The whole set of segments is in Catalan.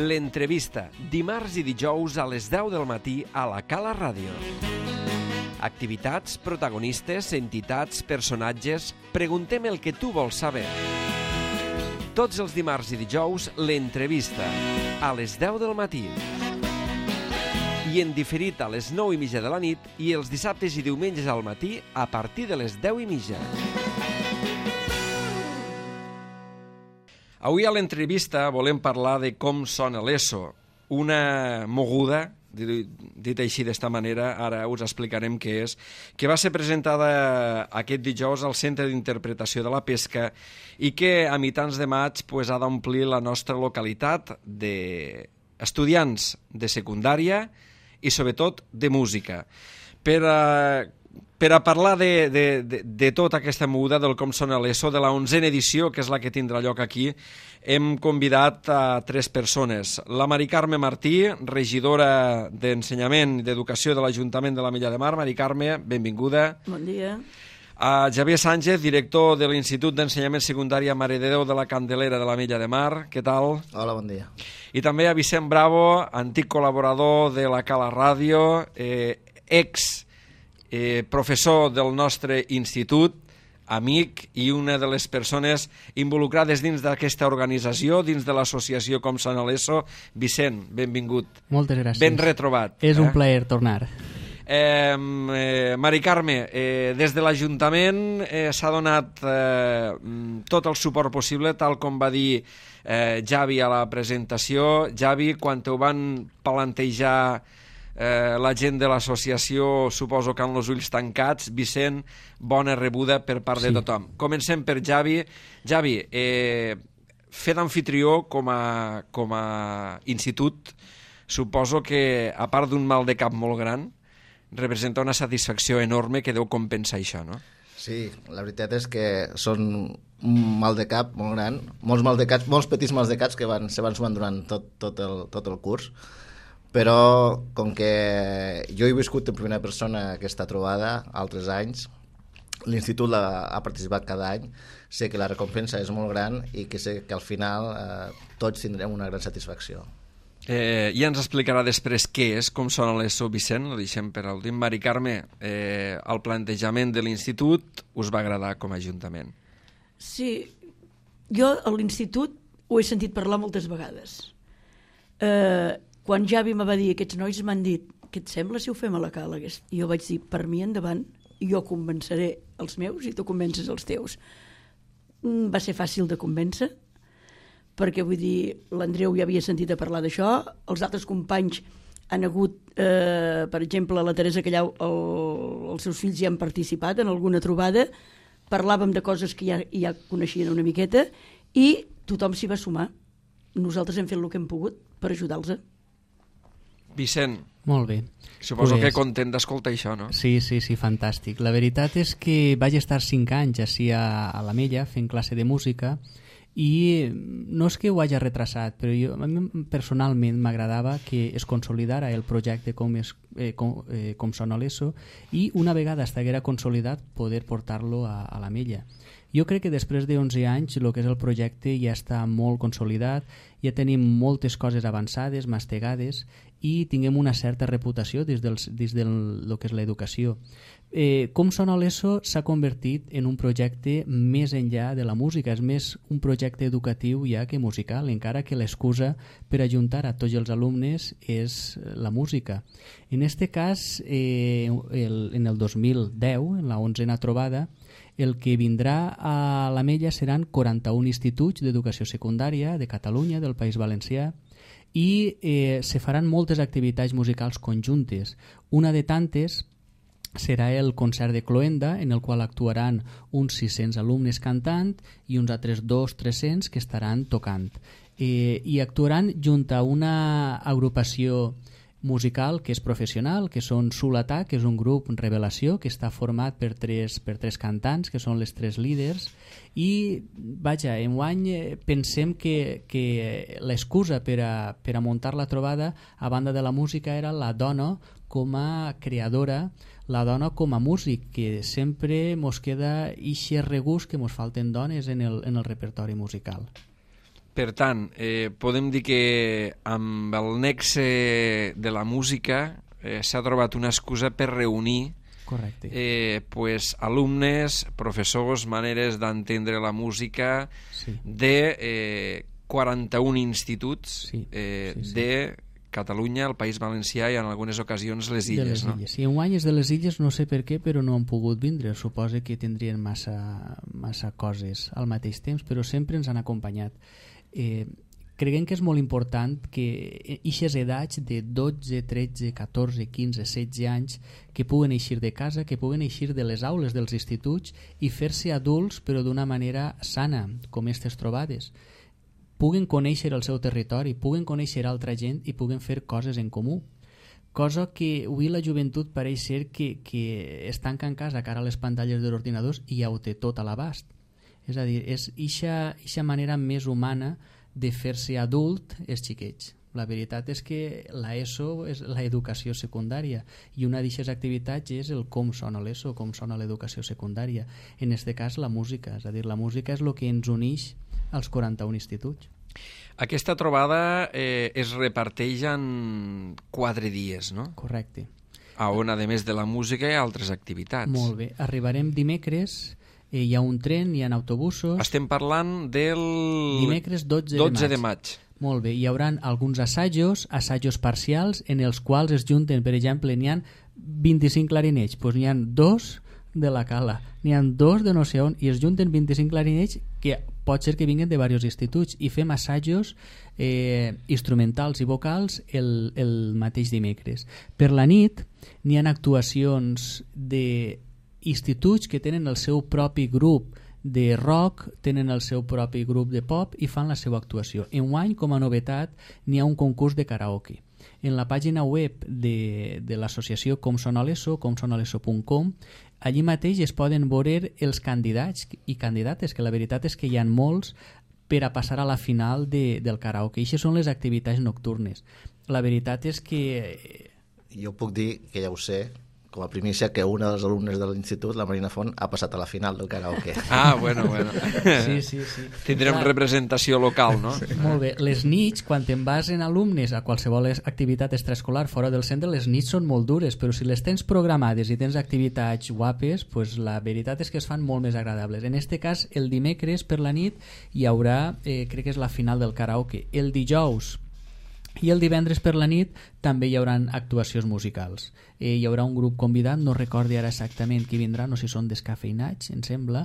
L'entrevista, dimarts i dijous a les 10 del matí a la Cala Ràdio. Activitats, protagonistes, entitats, personatges... Preguntem el que tu vols saber. Tots els dimarts i dijous, l'entrevista, a les 10 del matí. I en diferit a les 9:30 de la nit i els dissabtes i diumenges al matí a partir de les 10:30. Avui a l'entrevista volem parlar de com sona l'ESO, una moguda, dit així d'esta manera, ara us explicarem què és, que va ser presentada aquest dijous al Centre d'Interpretació de la Pesca i que a mitjans de maig ha d'omplir la nostra localitat d'estudiants de secundària i sobretot de música. Per a parlar de tota aquesta moguda, del com sona l'ESO, de la 11a edició, que és la que tindrà lloc aquí, hem convidat a 3 persones. La Mari Carme Martí, regidora d'Ensenyament i d'Educació de l'Ajuntament de l'Ametlla de Mar. Mari Carme, benvinguda. Bon dia. A Javier Sánchez, director de l'Institut d'Ensenyament Secundari Mare de Déu de la Candelera de l'Ametlla de Mar. Què tal? Hola, bon dia. I també a Vicent Bravo, antic col·laborador de la Cala Ràdio, professor del nostre institut, amic i una de les persones involucrades dins d'aquesta organització, dins de l'associació Com Sona l'ESO. Vicent, benvingut. Moltes gràcies. Ben retrobat. És un plaer tornar. Mari Carme, des de l'Ajuntament s'ha donat tot el suport possible, tal com va dir Javi a la presentació. Javi, quan ho van plantejar la gent de l'associació, suposo que amb els ulls tancats. Vicent, bona rebuda per part de tothom. Comencem per Javi. Javi, fer d'amfitrió com a institut, suposo que, a part d'un mal de cap molt gran, representa una satisfacció enorme que deu compensar això, no? Sí, la veritat és que són un mal de cap molt gran, molts petits mals de caps que se van sumant durant tot el curs, però com que jo he viscut en primera persona aquesta trobada altres anys, l'institut ha participat cada any, sé que la recompensa és molt gran i que sé que al final tots tindrem una gran satisfacció. Ja ens explicarà després què és, com sona l'ESO, Vicent, ho deixem per últim. Mari Carme, el plantejament de l'institut us va agradar com a ajuntament? Sí, jo a l'institut ho he sentit parlar moltes vegades. Quan Javi me va dir, aquests nois m'han dit, què et sembla si ho fem a la Cala? I jo vaig dir, per mi endavant, jo convenceré els meus i tu convences els teus. Va ser fàcil de convèncer, perquè vull dir, l'Andreu ja havia sentit a parlar d'això, els altres companys han hagut, per exemple, la Teresa Callau, els seus fills ja han participat en alguna trobada, parlàvem de coses que ja coneixien una miqueta i tothom s'hi va sumar. Nosaltres hem fet el que hem pogut per ajudar-los. Vicent, molt bé. Suposo que content d'escoltar això, no? Sí, fantàstic. La veritat és que vaig estar 5 anys així a l'Ametlla fent classe de música i no és que ho hagi retrasat, però a mi personalment m'agradava que es consolidara el projecte com sona l'ESO i una vegada estiguera consolidat poder portar-lo a l'Ametlla. Jo crec que després de 11 anys el que és el projecte ja està molt consolidat, ja tenim moltes coses avançades, mastegades i tinguem una certa reputació dins del que és l'educació. Com sona l'ESO s'ha convertit en un projecte més enllà de la música, és més un projecte educatiu ja que musical, encara que l'excusa per ajuntar a tots els alumnes és la música. En aquest cas, en el 2010, en la 11a trobada, el que vindrà a l'Ametlla seran 41 instituts d'educació secundària de Catalunya, del País Valencià, i se faran moltes activitats musicals conjuntes. Una de tantes serà el concert de cloenda, en el qual actuaran uns 600 alumnes cantant i uns altres 200-300 que estaran tocant. I actuaran junt a una agrupació musical que és professional, que són Sulatà, que és un grup Revelació, que està format per tres cantants, que són les 3 líders, i vaja, enguany pensem que l'excusa per a muntar la trobada, a banda de la música, era la dona com a creadora, la dona com a músic, que sempre mos queda ixe regust que mos falten dones en el repertori musical. Per tant, podem dir que amb el nexe de la música s'ha trobat una excusa per reunir Correcte. pues, alumnes, professors, maneres d'entendre la música Sí. de 41 instituts Sí, sí. de Catalunya, el País Valencià i en algunes ocasions les De illes. les No? illes. Si enguany és de les illes, no sé per què, però no han pogut vindre. Suposo que tindrien massa coses al mateix temps, però sempre ens han acompanyat. Creiem que és molt important que ixes edats de 12, 13, 14, 15, 16 anys que puguen eixir de casa, que puguen eixir de les aules dels instituts i fer-se adults però d'una manera sana, com aquestes trobades. Puguen conèixer el seu territori, puguen conèixer altra gent i puguen fer coses en comú. Cosa que avui la joventut pareix ser que es tanca en casa cara a les pantalles de l'ordinador i ja ho té tot a l'abast. És a dir, és eixa manera més humana de fer-se adult els xiquets. La veritat és que l'ESO és l'educació secundària i una d'aquestes activitats és el com sona l'ESO, com sona l'educació secundària. En aquest cas la música, és a dir, la música és el que ens uneix als 41 instituts. Aquesta trobada es reparteix en 4 dies, no? Correcte. On, a més de la música, hi ha altres activitats. Molt bé. Arribarem dimecres, hi ha un tren, hi ha autobusos. Estem parlant del... Dimecres 12 de maig. Molt bé, hi haurà alguns assajos parcials en els quals es junten, per exemple, n'hi ha 25 clarinets, doncs n'hi ha 2 de la Cala, n'hi ha 2 de no sé on, i es junten 25 clarinets que pot ser que vinguin de diversos instituts i fem assajos instrumentals i vocals el mateix dimecres. Per la nit n'hi ha actuacions d'instituts que tenen el seu propi grup de rock, tenen el seu propi grup de pop i fan la seva actuació. Enguany, com a novetat, n'hi ha un concurs de karaoke. En la pàgina web de l'associació comsonaleso.com, allí mateix es poden veure els candidats i candidates, que la veritat és que hi ha molts per a passar a la final del karaoke. I això són les activitats nocturnes. La veritat és que... Jo puc dir, que ja ho sé, com a primícia, que una dels alumnes de l'institut, la Marina Font, ha passat a la final del karaoke. Ah, bueno. Sí. Tindrem representació local, no? Sí. Molt bé. Les nits, quan te'n vas en alumnes a qualsevol activitat extraescolar fora del centre, les nits són molt dures, però si les tens programades i tens activitats guapes, pues la veritat és que es fan molt més agradables. En este cas, el dimecres per la nit hi haurà, crec que és la final del karaoke. El dijous i el divendres per la nit també hi haurà actuacions musicals. Hi haurà un grup convidat, no recordo ara exactament qui vindrà, no sé si són descafeinats, em sembla,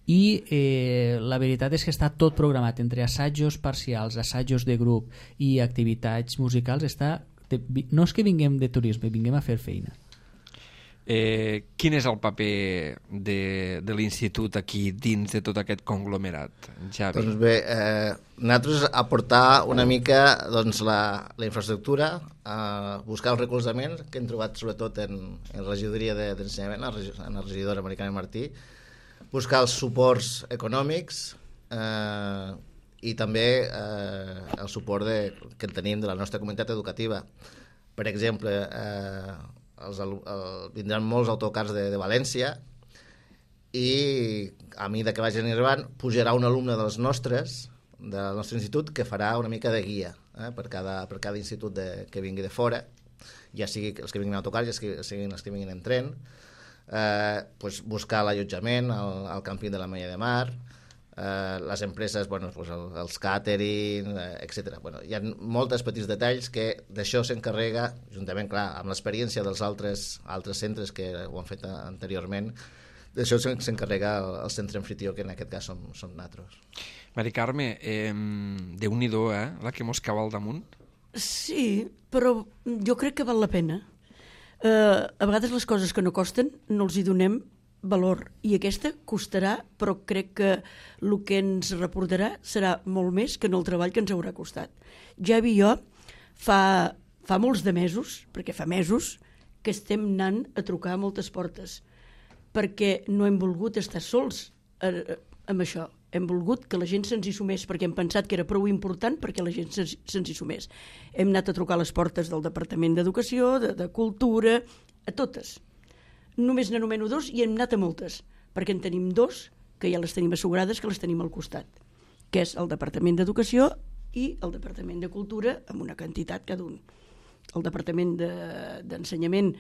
i la veritat és que està tot programat entre assajos parcials, assajos de grup i activitats musicals. No és que vinguem de turisme, vinguem a fer feina. Quin és el paper de l'institut aquí dins de tot aquest conglomerat, Javi? Doncs bé, nosaltres aportar una mica doncs, la infraestructura, buscar el recolzament que hem trobat sobretot en la regidoria d'ensenyament, en la regidora Maricana Martí, buscar els suports econòmics i també el suport que tenim de la nostra comunitat educativa. Per exemple, vindran molts autocars de València i a mesura que vagin arribant pujarà un alumne del nostre institut que farà una mica de guia per cada institut que vingui de fora, ja sigui els que vinguin en autocar, ja siguin els que vinguin en tren, pues buscar l'allotjament al càmping de la Mella de Mar, les empreses, bueno, pues els catering, etc. Bueno, hi ha molts petits detalls que d'això s'encarrega, juntament, clar, amb l'experiència dels altres centres que ho han fet anteriorment, d'això s'encarrega el centre anfitrió, que en aquest cas som nosaltres. Mari Carme, Déu-n'hi-do, la que mos cau al damunt. Sí, però jo crec que val la pena. A vegades les coses que no costen no els hi donem valor, i aquesta costarà, però crec que el que ens reportarà serà molt més que en el treball que ens haurà costat. Javi i jo fa molts de mesos, perquè fa mesos que estem anant a trucar a moltes portes, perquè no hem volgut estar sols amb això. Hem volgut que la gent se'ns hi sumés, perquè hem pensat que era prou important perquè la gent se'ns hi sumés. Hem anat a trucar a les portes del Departament d'Educació, de Cultura, a totes. Només n'anomeno 2 i hem anat a moltes, perquè en tenim 2 que ja les tenim assegurades, que les tenim al costat. que és el Departament d'Educació i el Departament de Cultura, amb una quantitat cada un. El Departament d'Ensenyament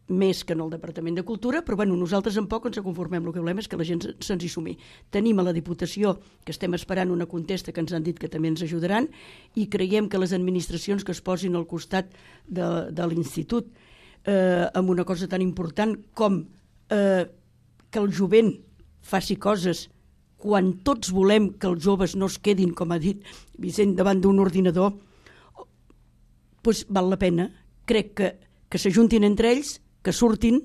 més que en el Departament de Cultura, però bueno, nosaltres en poc ens conformem, el que volem és que la gent se'ns hi sumi. Tenim a la Diputació, que estem esperant una contesta, que ens han dit que també ens ajudaran, i creiem que les administracions que es posin al costat de l'institut amb una cosa tan important com que el jovent faci coses quan tots volem que els joves no es quedin, com ha dit Vicent, davant d'un ordinador, doncs val la pena. Crec que s'ajuntin entre ells, que surtin,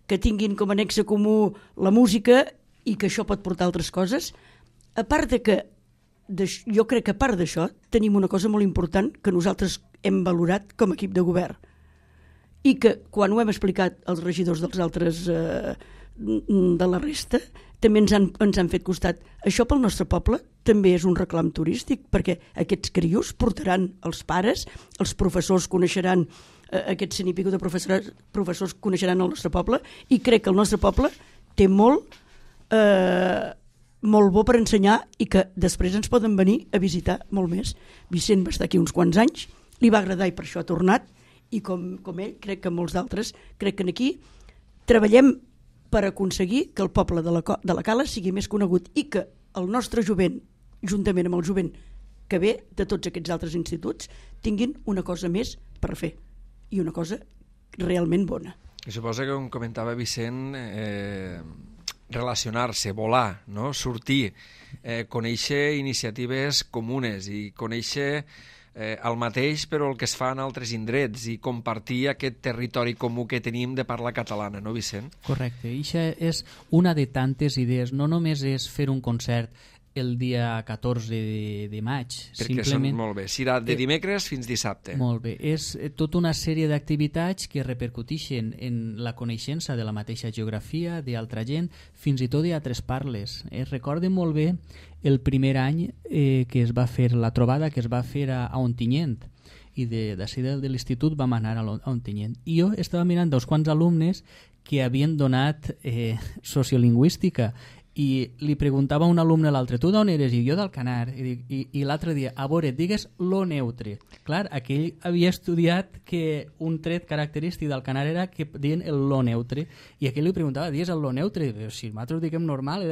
que tinguin com a nexe comú la música i que això pot portar altres coses. A part de que, jo crec que a part d'això, tenim una cosa molt important que nosaltres hem valorat com a equip de govern i que quan ho hem explicat als regidors dels altres de la resta, també ens han fet costat. Això pel nostre poble també és un reclam turístic, perquè aquests crios portaran els pares, els professors coneixeran, aquests 100 i pico de professors coneixeran el nostre poble, i crec que el nostre poble té molt bo per ensenyar i que després ens poden venir a visitar molt més. Vicent va estar aquí uns quants anys, li va agradar i per això ha tornat, i com ell, crec que molts d'altres, crec que aquí treballem per aconseguir que el poble de la Cala sigui més conegut i que el nostre jovent, juntament amb el jovent que ve de tots aquests altres instituts, tinguin una cosa més per fer i una cosa realment bona. I suposo que, com comentava Vicent, relacionar-se, volar, no? Sortir, conèixer iniciatives comunes i conèixer el mateix però el que es fa en altres indrets i compartir aquest territori comú que tenim de parla catalana, no, Vicent? Correcte, i això és una de tantes idees, no només és fer un concert el dia 14 de maig. Perquè simplement, són molt bé, serà de dimecres fins dissabte. Molt bé, és tota una sèrie d'activitats que repercuteixen en la coneixença de la mateixa geografia, d'altra gent, fins i tot d'altres parles. Recorde molt bé el primer any que es va fer la trobada que es va fer a Ontinyent, i d'ací de l'institut vam anar a Ontinyent. I jo estava mirant uns quants alumnes que havien donat sociolingüística i li preguntava a un alumne a l'altre, tu d'on eres? I jo d'Alcanar. I l'altre dia, a veure, digues lo neutre. Clar, aquell havia estudiat que un tret característic d'Alcanar era que deien el lo neutre, i aquell li preguntava, digues el lo neutre? Si nosaltres diguem normal,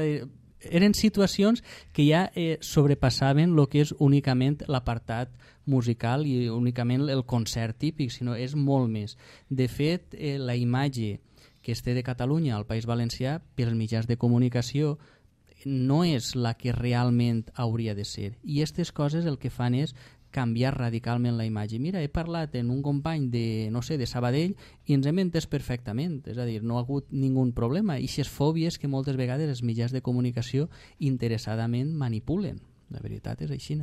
eren situacions que ja sobrepassaven el que és únicament l'apartat musical i únicament el concert típic, sinó és molt més. De fet, la imatge que es té de Catalunya al País Valencià pels mitjans de comunicació no és la que realment hauria de ser. I aquestes coses el que fan és canviar radicalment la imatge. Mira, he parlat amb un company de, no sé, de Sabadell i ens hem entès perfectament, és a dir, no ha hagut ningú problema. I aquestes fòbies que moltes vegades els mitjans de comunicació interessadament manipulen. La veritat és així.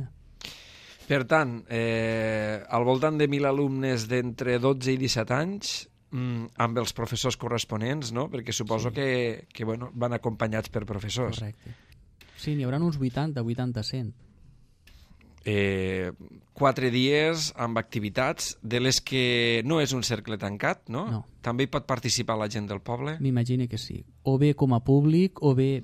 Per tant, al voltant de 1.000 alumnes d'entre 12 i 17 anys, amb els professors corresponents, no? Perquè suposo que bueno, van acompanyats per professors. Correcte. Sí, n'hi haurà uns 80, 100. 4 dies amb activitats de les que no és un cercle tancat, no? No. També hi pot participar la gent del poble? M'imagino que sí. O bé com a públic, o bé...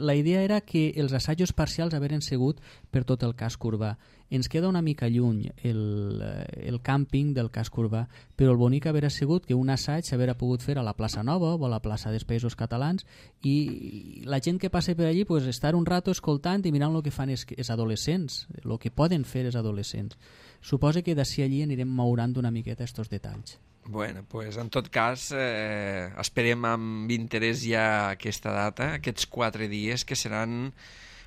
la idea era que els assajos parcials haveren sigut per tot el casc urbà. Ens queda una mica lluny el càmping del casc urbà, però el bonic haver sigut que un assaig s'haver pogut fer a la plaça Nova o a la plaça dels Països Catalans i la gent que passa per allí pues, estar un rato escoltant i mirant el que fan els adolescents, el que poden fer els adolescents. Suposo que d'ací allí anirem maurant una miqueta aquests detalls. Bueno, pues en tot cas esperem amb interès ja aquesta data, aquests 4 dies que seran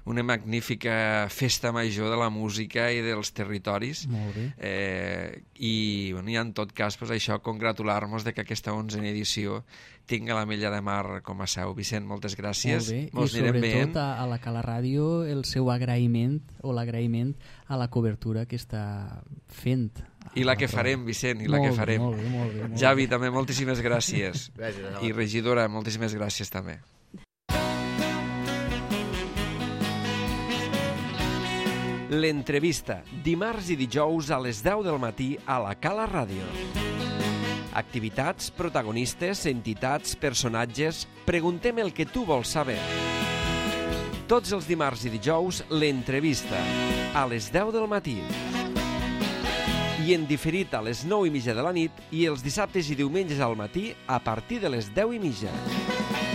una magnífica festa major de la música i dels territoris. Molt bé. I en tot cas, pues, això, congratular-nos de que aquesta 11a edició tinga l'Ametlla de Mar com a seu. Vicent, moltes gràcies. Molt bé. I sobretot a la Cala Ràdio el seu agraïment o l'agraïment a la cobertura que està fent. I la que farem, Vicent, i la que farem. Molt bé. Javi, també moltíssimes gràcies. Gràcies. I regidora, moltíssimes gràcies també. L'entrevista, dimarts i dijous a les 10 del matí a la Cala Ràdio. Activitats, protagonistes, entitats, personatges... Preguntem el que tu vols saber. tots els dimarts i dijous, l'entrevista, a les 10 del matí. I en diferit a les 9:30 de la nit i els dissabtes i diumenges al matí a partir de les 10:30.